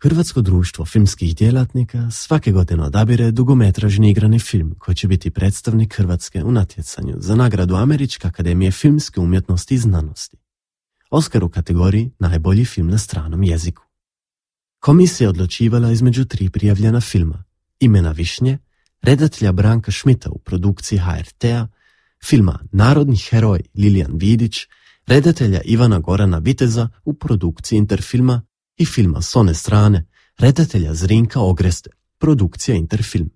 Hrvatsko društvo filmskih djelatnika svake godine odabire dugometražni igrani film koji će biti predstavnik Hrvatske u natjecanju za nagradu Američke akademije filmske umjetnosti i znanosti. Oskar u kategoriji najbolji film na stranom jeziku. Komisija je odlučivala između 3 prijavljena filma: Imena višnje, redatelja Branka Šmita u produkciji HRT-a, filma Narodni heroj Lilijan Vidić, redatelja Ivana Gorana Viteza u produkciji Interfilma i filma S one strane, redatelja Zrinka Ogreste, produkcija Interfilm.